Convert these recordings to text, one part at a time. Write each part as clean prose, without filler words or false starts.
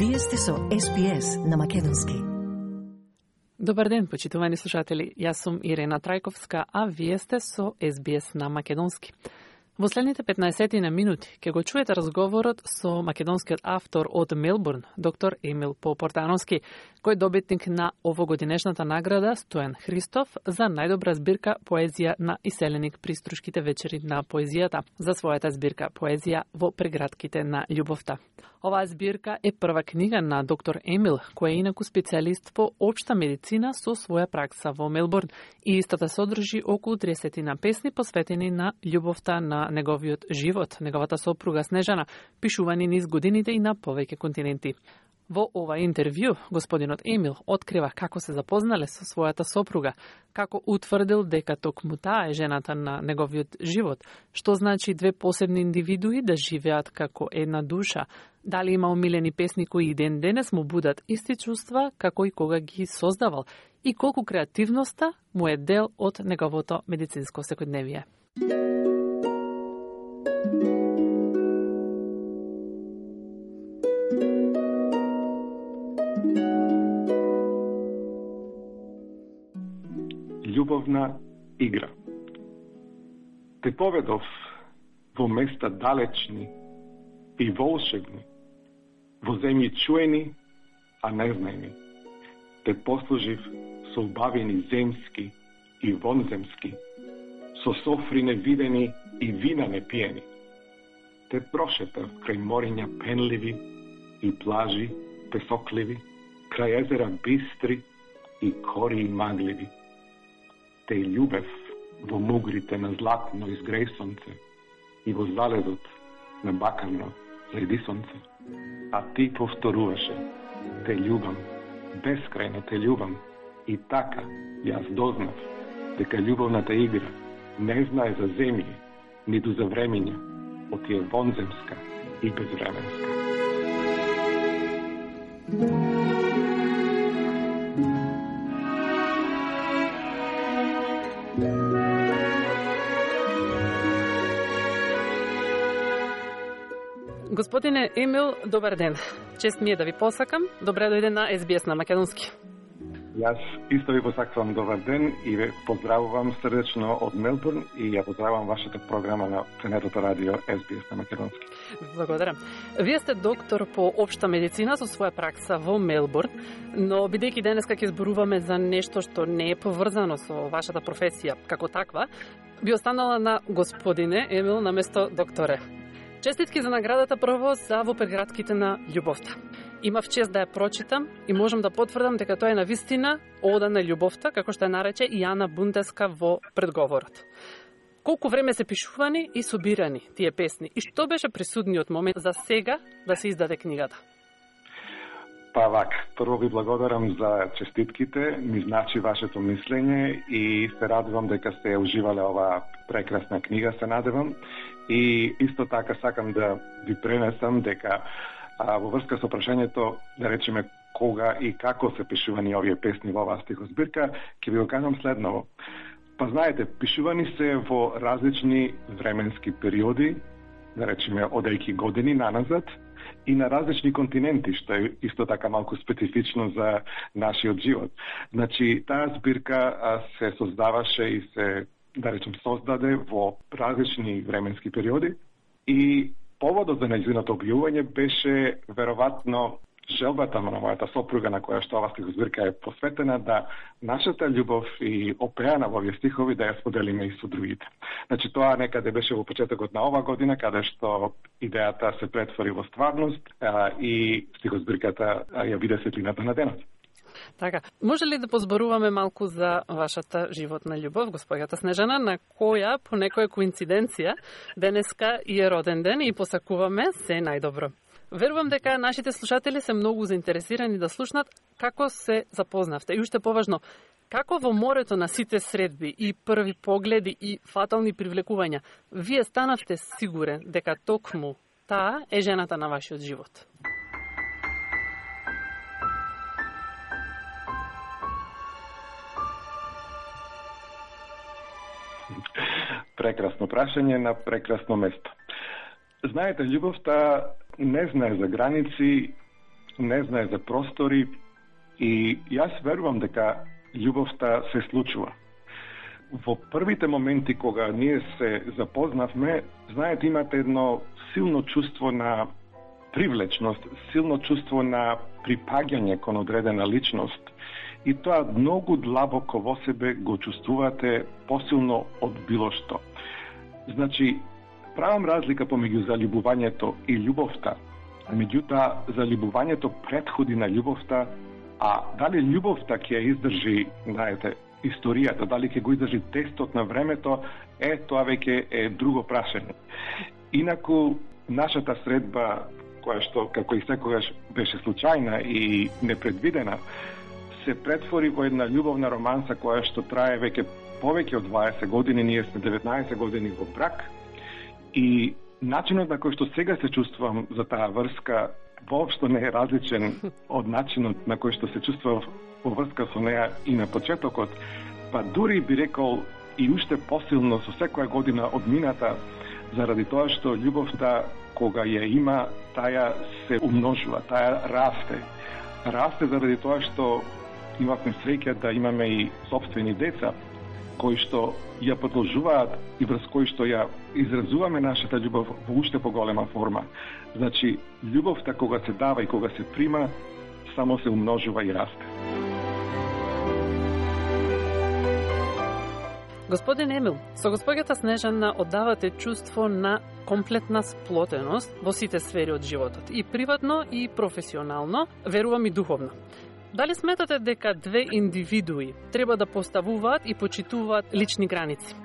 Вие сте со SPS на македонски. Добар ден, почитувани слушатели. Јас сум Ирена Трајковска, а вие сте со SBS на македонски. Во следните 15 на минути ќе го чуете разговорот со македонскиот автор од Мелбурн, доктор Емил Попортановски, кој е добитник на овогодинешната награда Стојан Христов за најдобра збирка поезија на иселеник при Струшките вечери на поезијата, за својата збирка поезија во прегратките на љубовта. Оваа збирка е прва книга на доктор Емил, кој е инаку специјалист по општа медицина со своја пракса во Мелбурн и истата содржи околу 30 на песни посветени на љубовта на неговиот живот, неговата сопруга Снежана, пишувани низ годините и на повеќе континенти. Во ова интервју, господинот Емил открива како се запознале со својата сопруга, како утврдил дека токму таа е жената на неговиот живот, што значи две посебни индивидуи да живеат како една душа, дали има омилени песни кои и ден денес му будат исти чувства како и кога ги создавал и колку креативноста му е дел од неговото медицинско секојдневие. Љубовна игра. Те поведов во места далечни и волшебни, во земји чуени, а незнаени. Те послужив со убавини земски и вонземски, со софри невидени и вина непиени. Те прошетав крај мориња пенливи и плажи песокливи, крај езера бистри и кори магливи. Те љубев во мугрите на златно изгреј сонце и во залезот на бакарно зајди сонце. А ти повторуваше: те љубам, бескрајно те љубам. И така јас дознав дека љубовната игра не знае за земји, ниту за времења, оти е вонземска и безвременска. Господине Емил, добар ден. Чест ми е да ви посакам. Добре дојде на SBS на македонски. Јас исто ви посакувам добар ден и ве поздравувам срдечно од Мелбурн и ја поздравувам вашата програма на ценетото радио SBS на македонски. Благодарам. Вие сте доктор по општа медицина со своја пракса во Мелбурн, но бидејќи денеска ќе зборуваме за нешто што не е поврзано со вашата професија како таква, би останала на господине Емил наместо докторе. Честитки за наградата прво за во прегратките на љубовта. Имав чест да ја прочитам и можам да потврдам дека тоа е навистина ода на љубовта, како што ја нарече и Ана Бундеска во предговорот. Колку време се пишувани и собирани тие песни и што беше присудниот момент за сега да се издаде книгата? Па вака, прво ви благодарам за честитките, ми значи вашето мислење и се радувам дека сте уживале оваа прекрасна книга, се надевам. И исто така сакам да ви пренесам дека во врска со прашањето, да речеме, кога и како се пишувани овие песни во оваа стихозбирка, ќе ви го кажам следново. Па знаете, пишувани се во различни временски периоди, да речеме, одејќи години наназад, и на различни континенти, што е исто така малку специфично за нашиот живот. Значи, таа збирка се создаваше и се, да речем, создаде во различни временски периоди и поводот за нејзиното објавување беше веројатно желбата на мојата сопруга, на која што оваа стихозбирка е посветена, да нашата љубов и опеана во овие стихови да ја споделиме и со другите. Значи, тоа некаде беше во почетокот на оваа година, каде што идејата се претвори во стварност и стихозбирката ја биде светлината на денот. Така, може ли да позборуваме малку за вашата животна љубов, господјата Снежана, на која по некоја коинциденција денеска и е роден ден и посакуваме се најдобро? Верувам дека нашите слушатели се многу заинтересирани да слушнат како се запознавте и уште поважно, како во морето на сите средби и први погледи и фатални привлекувања, вие станавте сигурен дека токму таа е жената на вашиот живот? Прекрасно прашање на прекрасно место. Знаете, љубовта не знае за граници, не знае за простори и јас верувам дека љубовта се случува. Во првите моменти кога ние се запознавме, знаете, имате едно силно чувство на привлечност, силно чувство на припаѓање кон одредена личност и тоа многу длабоко во себе го чувствувате посилно од било што. Значи, правам разлика помеѓу заљубувањето и љубовта. Меѓутоа, заљубувањето претходи на љубовта, а дали љубовта ќе ја издржи, знаете, историјата, дали ќе го издржи тестот на времето, тоа веќе е друго прашање. Инаку, нашата средба, која што, како и секогаш, беше случајна и непредвидена, се претвори во една љубовна романса која што трае веќе повеќе од 20 години, ние сме 19 години во брак и начинот на кој што сега се чувствувам за таа врска воопшто не е различен од начинот на кој што се чувствував во врска со неа и на почетокот, па дури би рекол и уште посилно со секоја година одмината, заради тоа што љубовта кога ја има, таа се умножува, таа расте. Расте заради тоа што имавме среќа да имаме и сопствени деца, кои што ја продолжуваат и врз кои што ја изразуваме нашата љубов во уште поголема форма. Значи, љубовта кога се дава и кога се прима, само се умножува и расте. Господин Емил, со госпоѓата Снежана оддавате чувство на комплетна сплотеност во сите сфери од животот, и приватно и професионално, верувам и духовно. Дали сметате дека две индивидуи треба да поставуваат и почитуваат лични граници?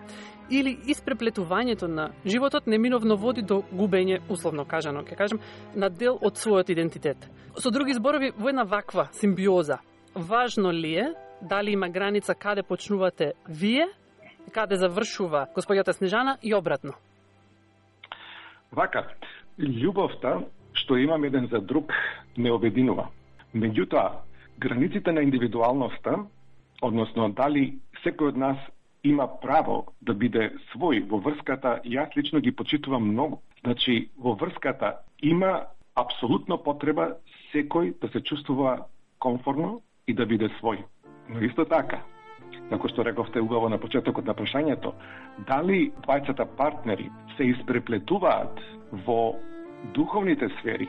Или испреплетувањето на животот неминовно води до губење, условно кажано, ќе кажем, на дел од својот идентитет? Со други зборови, во една ваква симбиоза, важно ли е дали има граница каде почнувате вие, каде завршува госпоѓата Снежана и обратно? Вака, љубовта што имам еден за друг не обединува. Меѓутоа, границите на индивидуалноста, односно дали секој од нас има право да биде свој во врската, јас лично ги почитувам многу. Значи, во врската има апсолутно потреба секој да се чувствува комфортно и да биде свој. Но исто така, како што рековте убаво на почетокот на прашањето, дали двајцата партнери се испреплетуваат во духовните сфери,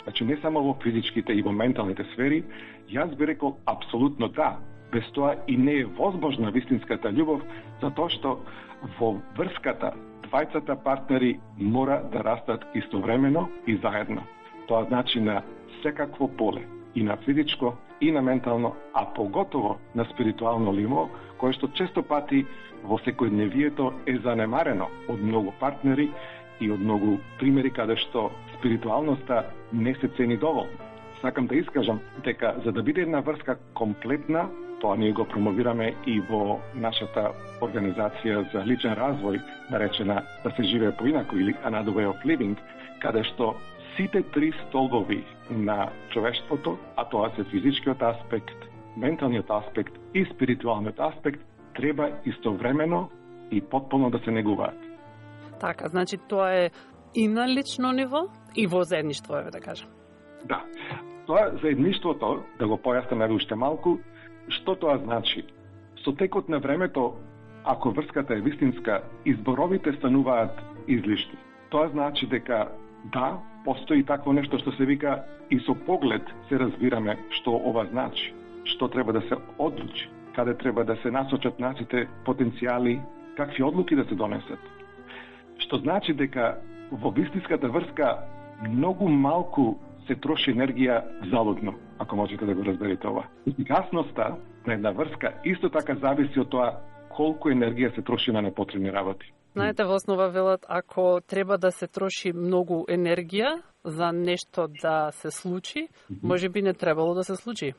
значи не само во физичките и во менталните сфери, јас би рекол апсолутно да. Без тоа и не е возможна вистинската љубов, затоа што во врската двајцата партнери мора да растат истовремено и заедно. Тоа значи на секакво поле, и на физичко, и на ментално, а поготово на спиритуално ниво, кое што често пати во секојдневието е занемарено од многу партнери и од многу примери каде што спиритуалноста не се цени доволно. Сакам да искажам дека за да биде една врска комплетна, тоа ние го промовираме и во нашата организација за личен развој, наречена да се живее поинаку или Another Way of Living, каде што сите три столбови на човештвото, а тоа се физичкиот аспект, менталниот аспект и спиритуалниот аспект, треба истовремено и потполно да се негуваат. Така, значи тоа е и на лично ниво, и во заедништво, да кажам. Да. Тоа заедништвото, да го појаснеме уште малку, што тоа значи? Со текот на времето, ако врската е вистинска, изборовите стануваат излишни. Тоа значи дека да, постои такво нешто што се вика и со поглед се разбираме што ова значи, што треба да се одлучи, каде треба да се насочат нашите потенцијали, какви одлуки да се донесат. Што значи дека во вистинската врска многу малку се троши енергија залудно, ако можете да го разберете ова. Ефикасноста на една врска исто така зависи од тоа колку енергија се троши на непотребни работи. Знаете, во основа велат, ако треба да се троши многу енергија за нешто да се случи, може би не требало да се случи.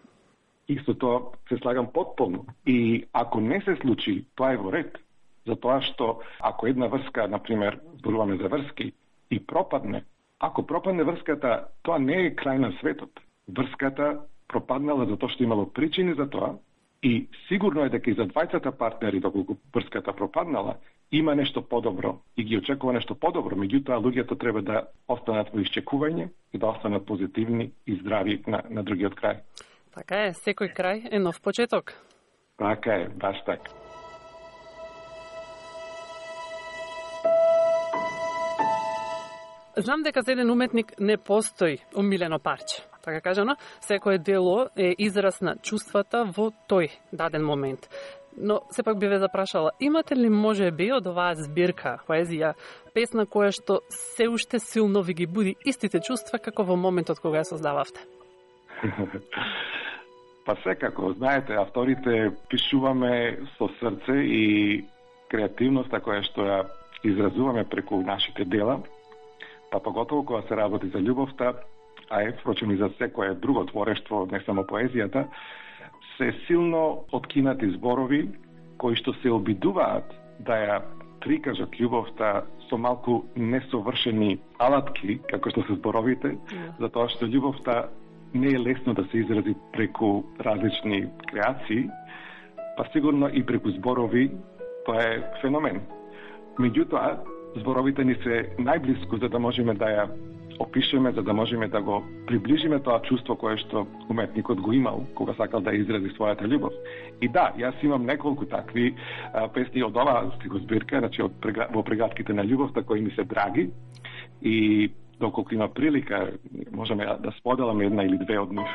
Исто тоа се слагам потполно. И ако не се случи, тоа е во ред. Затоа што ако една врска, например, зборуваме за врски, и пропадне, ако пропадне врската, тоа не е крај на светот. Врската пропаднала затоа што имало причини за тоа и сигурно е дека и за двајцата партнери, доколку врската пропаднала, има нешто подобро и ги очекува нешто подобро, меѓутоа луѓето треба да останат во исчекување и да останат позитивни и здрави на другиот крај. Така е, секој крај е нов почеток. Така е, баш така. Знам дека за еден уметник не постои омилено парче. Така кажано, секое дело е израз на чувствата во тој даден момент. Но сепак би ве запрашала, имате ли можеби од оваа збирка, поезија, песна која што се уште силно ви ги буди истите чувства како во моментот кога ја создававте? Па секако, знаете, авторите пишуваме со срце и креативноста која што ја изразуваме преку нашите дела, па поготово кога се работи за љубовта, а впрочем и за секое друго творештво, не само поезијата, се силно откинати зборови кои што се обидуваат да ја прикажат љубовта со малку несовршени алатки, како што се зборовите, затоа што љубовта не е лесно да се изрази преку различни креации, па сигурно и преку зборови тоа е феномен. Меѓутоа, зборовите ни се најблиску за да можеме да ја опишеме, за да можеме да го приближиме тоа чувство кое што уметникот го имал кога сакал да изрази својата љубов. И да, јас имам неколку такви песни од оваа стихозбирка, значи во прегратките на љубовта кои ми се драги и доколку има прилика можеме да споделаме една или две од нив.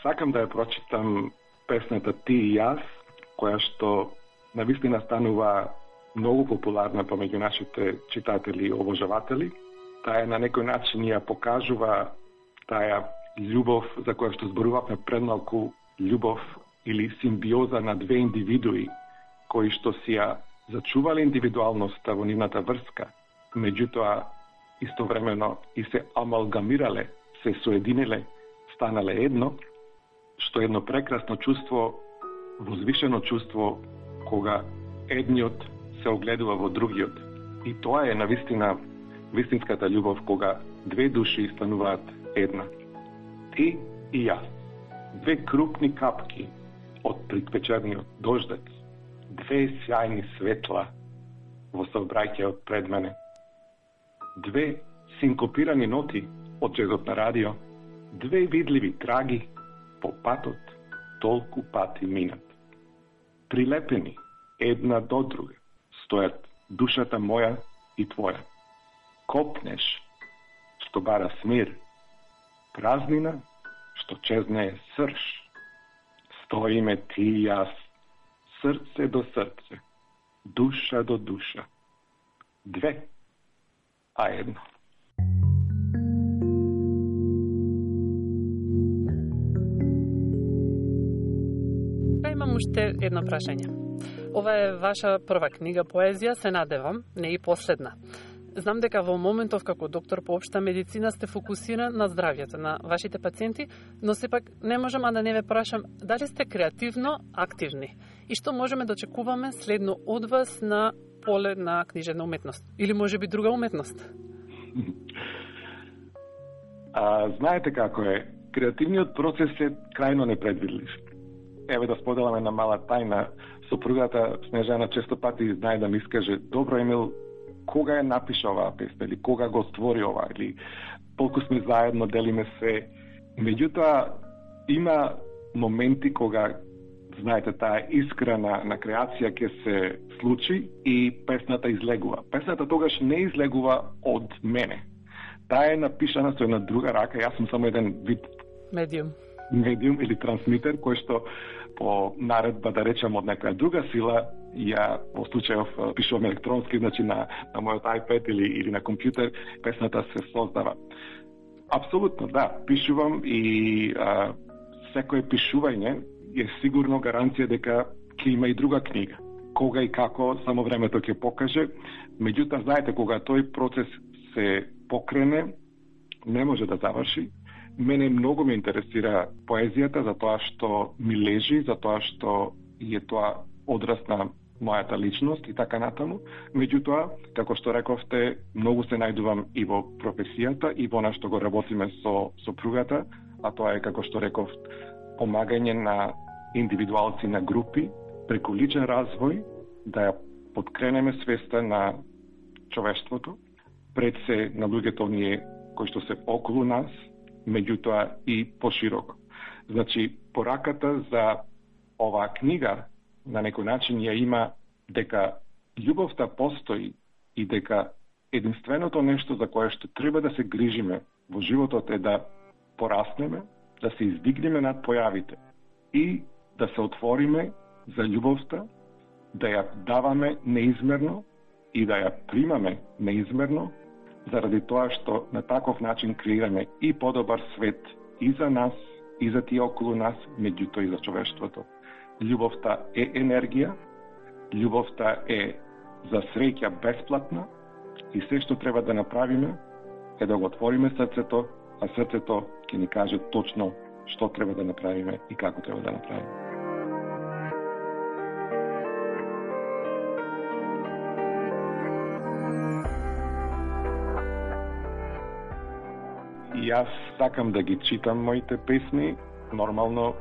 Сакам да ја прочитам песната Ти и јас, која што навистина станува многу популарна помеѓу нашите читатели и обожаватели. Таа на некој начин ја покажува таа љубов за која што зборувавме предмалку, љубов или симбиоза на две индивидуи кои што си ја зачувале индивидуалноста во нивната врска, меѓутоа истовремено и се амалгамирале, се соединиле, станале едно, што е едно прекрасно чувство, возвишено чувство кога едниот се огледува во другиот. И тоа е навистина вистинската љубов кога две души стануваат една. Ти и јас. Две крупни капки од предвечерниот дождец. Две сјајни светла во сообраќајот пред мене. Две синкопирани ноти од джезот на радио. Две видливи траги по патот толку пати минат. Прилепени една до друга стојат душата моја и твоја. Копнеш, што бара смир, празнина, што чезнее срж. Стоиме ти и јас, срце до срце, душа до душа. Две, а едно. Имам уште едно прашање. Ова е ваша прва книга поезија, се надевам, не и последна. Знам дека во моментов како доктор по општа медицина сте фокусиран на здравјето на вашите пациенти, но сепак не можам да не ве прашам дали сте креативно активни и што можеме да очекуваме следно од вас на поле на книжевна уметност или можеби друга уметност? Знаете како е, креативниот процес е крајно непредвидлив. Еве да споделаме на мала тајна, сопругата Снежана често пати знае да ми искаже: добро, Емил, кога ја напиша оваа песна или кога го створи ова, или толку сме заедно, делиме се. Меѓутоа, има моменти кога, знаете, таа искра на креација ќе се случи и песната излегува. Песната тогаш не излегува од мене. Таа е напишана со една друга рака, јас сум само еден вид медиум или трансмитер, кој што по наредба, да речем, од некоја друга сила, ја во случајов пишувам електронски, значи на мојот iPad или на компјутер, песната се создава. Апсолутно, да, пишувам и секое пишување е сигурно гаранција дека ќе има и друга книга. Кога и како, само времето ќе покаже. Меѓутоа, знаете, кога тој процес се покрене, не може да заврши. Мене многу ме интересира поезијата, затоа што ми лежи, затоа што е тоа одраз на мојата личност и така натаму. Меѓутоа, како што рековте, многу се најдувам и во професијата и во нашто го работиме со сопругата, а тоа е, како што реков, помагање на индивидуалци на групи, преку личен развој, да ја подкренеме свеста на човештвото, пред се на луѓето оние кои што се околу нас, меѓутоа и пошироко. Значи, пораката за оваа книга на некој начин ја има дека љубовта постои и дека единственото нешто за кое што треба да се грижиме во животот е да пораснеме, да се издигнеме над појавите и да се отвориме за љубовта, да ја даваме неизмерно и да ја примаме неизмерно, заради тоа што на таков начин креираме и подобар свет и за нас, и за тие околу нас, меѓутоа и за човештвото. Љубовта е енергија, љубовта е за среќа бесплатна и се што треба да направиме е да го отвориме срцето, а срцето ќе ни каже точно што треба да направиме и како треба да направиме. И јас сакам да ги читам моите песни, нормално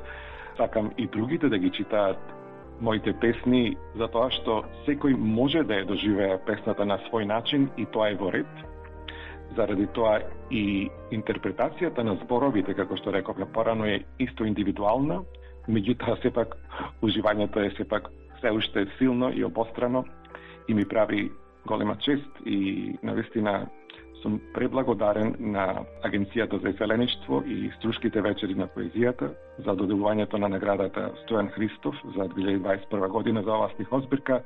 сакам и другите да ги читаат моите песни, затоа што секој може да ја доживее песната на свој начин и тоа е во ред. Заради тоа и интерпретацијата на зборовите, како што рековме порано, е исто индивидуална, меѓутоа сепак уживањето е сепак се уште силно и обострано и ми прави голема чест и навистина сум преблагодарен на Агенцијата за селеништво и Струшките вечери на поезијата за доделувањето на наградата Стојан Христов за 2021 година за оваа стихозбирка,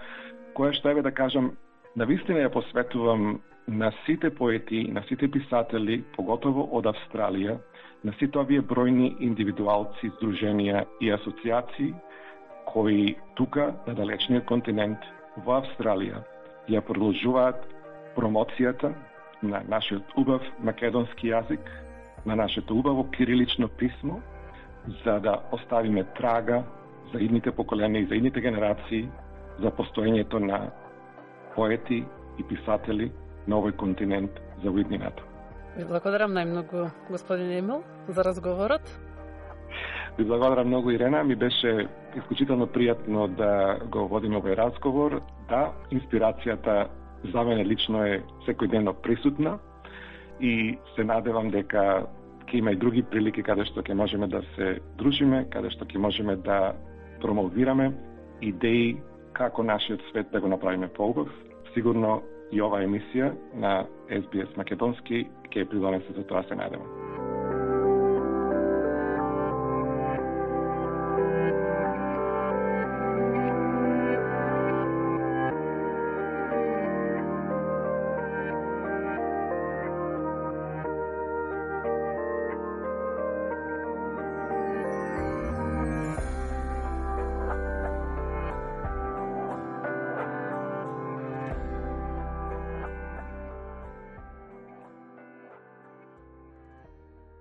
која што еве да кажам, навистина ја посветувам на сите поети, на сите писатели, поготово од Австралија, на сите овие бројни индивидуалци, здруженија и асоциации кои тука, на далечниот континент, во Австралија, ја продолжуваат промоцијата на нашиот убав македонски јазик, на нашето убаво кирилично писмо, за да оставиме трага за идните поколенија и за идните генерации за постоењето на поети и писатели на овој континент за уиднината. Ви благодарам најмногу, господин Емил, за разговорот. Ви благодарам многу, Ирена. Ми беше исклучително пријатно да го водиме овој разговор. Да, инспирацијата за мене лично е секојдневно присутна и се надевам дека ќе има и други прилики каде што ќе можеме да се дружиме, каде што ќе можеме да промовираме идеи како нашиот свет да го направиме поубав. Сигурно и оваа емисија на SBS Македонски ќе придонесе за тоа, се надевам.